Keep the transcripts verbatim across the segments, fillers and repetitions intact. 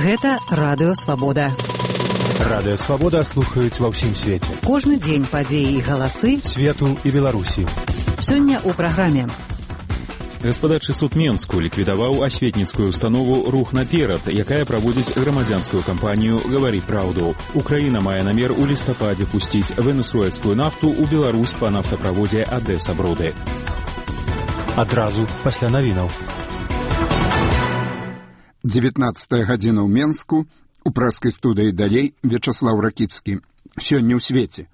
Гэта Радыё Свабода. Радыё Свабода слухаюць ва ўсім свеце. Кожны дзень падзеі і галасы свету і Беларусі. Сёння ў праграме. Гаспадарчы суд Менску ліквідаваў асветніцкую установу «Рух наперад», якая праводзіць грамадзянскую кампанію «Гавары праўду». Украіна мае намер у лістападзе пусціць венесуэльскую нафту ў Беларусь па нафтаправодзе Адэса-Бруды. Адразу пасля навінаў. дзевятнаццатая гадзіна ў Менску, у прэскай студыі далей Вячаслаў Ракіцкі. Сёння ў свеце.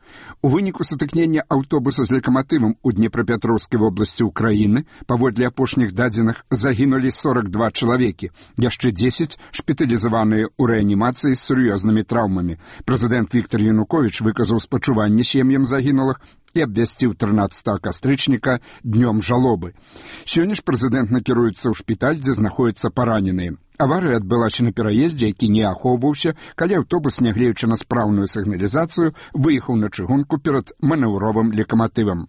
У выніку сутыкнення аўтобуса з лакаматывам у Днепрапетроўскай вобласці ўкраіны паводле апошніх дадзеных загінулі сорок два чалавекі, яшчэ дзесяць шпіталізаваныя ў рэанімацыі з сур'ёзнымі траўмамі. Прэзідэнт Віктар Януковіч выказаў спачуванне сем'ям загінулых і абвясціў трынаццатага кастрычніка днём жалобы. Сёння ж прэзідэнт накіруецца ў шпіталь, дзе знаходзяцца параненыя. Аварыя адбылася на пераездзе, які не ахоўваўся, калі аўтобус, нягледзячы на спраўную сігналізацыю, выехаў на чыгунку перад манеўровым лакаматывам.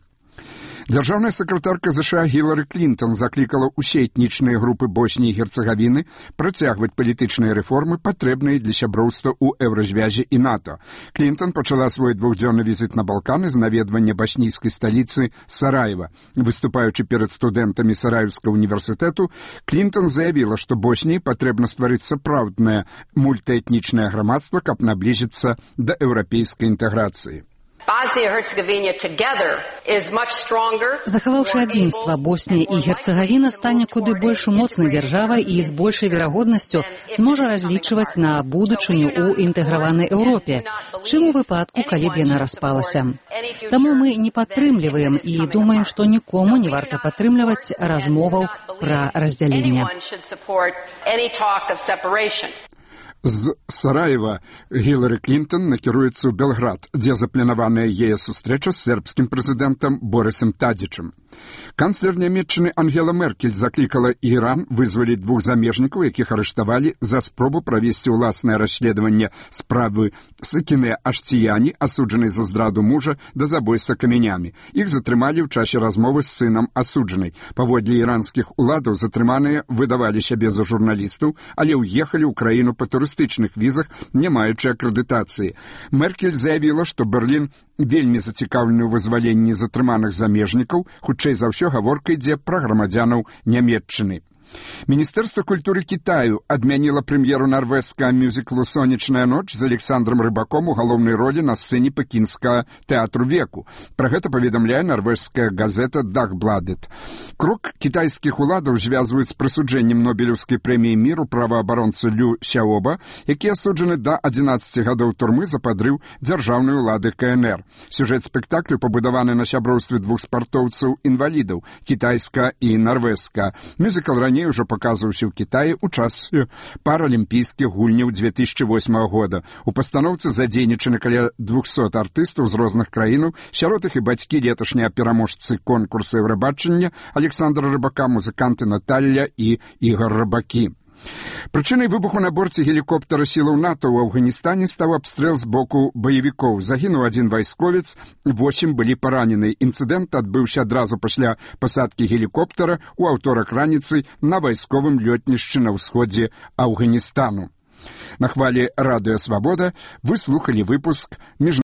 Дзяржаўная сакратарка ЗША Гілары Клінтон заклікала ўсе этнічныя групы Босніі і Герцагавіны працягваць палітычныя рэформы, патрэбныя для сяброўства ў Еўразвязе і НАТО. Клінтон пачала свой двухдзённы візіт на Балканы з наведвання башнійскай сталіцы Сараева. Выступаючы перад студэнтамі Сараевскага універсітэту, Клінтон заявіла, што Босніі патрэбна стварыць сапраўднае мультыэтнічнае грамадства, каб наблізіцца да еўрапейскай інтэграцыі. Захаваўшы адзінства, Боснія і Герцагавіна стане куды больш моцнай дзяржавай і з большай верагоднасцю зможа разлічваць на будучыню ў інтэграванай Еўропе, чым у выпадку, калі б яна распалася. Таму мы не падтрымліваем і думаем, што нікому не варта падтрымліваць размоваў пра раздзяленне. З Сараева Гілары Клінтон накіруецца ў Белград, дзе запланаваная яе сустрэча з сербскім прэзідэнтам Борысам Тадзічам. Канцлер Нямецчыны Ангела Меркель заклікала Іран вызваліць двух замежнікаў, якіх арыштавалі за спробу правесці ўласнае расследаванне справы Сакіне Аштіяні, асуджанай за здраду мужа да забойства камянямі. Іх затрымалі ў часе размовы з сынам асуджанай. Паводле іранскіх уладаў затрыманыя выдавалі сябе за журналістаў, але ўехалі ў краіну па турыстычных візах, не маючы акрэдытацыі. Меркель заявіла, што Берлін вельмі зацікаўлены ў вызваленні затрыманых замежнікаў, хутчэй за ўсё гаворка ідзе пра грамадзянаў Нямецчыны. Міністэрства культуры Кітаю адмяніла прэм'еру нарвежскага мюзіклу «Сонечная ноч» з Александром Рыбаком у галоўнай ролі на сцэне пекінскага тэатру веку. Пра гэта паведамляе нарвежская газета «Дахбладет». Крок кітайскіх уладаў звязваюць з прысуджэннем Нобелеўскай прэміі міру праваабаронцы Лю Сяоба, які асуджаны да адзінаццаці гадоў турмы за падрыў дзяржаўнай улады КНР. Сюжэт спектаклю пабудаваны на сяброўстве двух спартоўцаў-інвалідаў, кітайска і нарвежска. Мюзікл раней ўжо паказваўся ў Кітаі ў час паралімпійскіх гульняў две тысячи восьмага года. У пастаноўцы задзейнічаны каля двухсот артыстаў з розных краінаў, сярод іх і бацькі леташнія пераможцы конкурса Еўрабачання Александра Рыбака, музыканты Наталля і Ігор Рыбакі. Прычынай выбуху на борце гелікоптера сілаў НАТО ў Афганістане стаў абстрэл з боку баевікоў. Загінуў адзін вайсковец, восем былі паранены. Інцыдэнт адбыўся адразу пасля пасадкі гелікоптера ў аўторак раніцы на вайсковым лётнішчы на ўсходзе Афганістану. На хвалі Радыё Свабода вы слухалі выпуск міжнароднага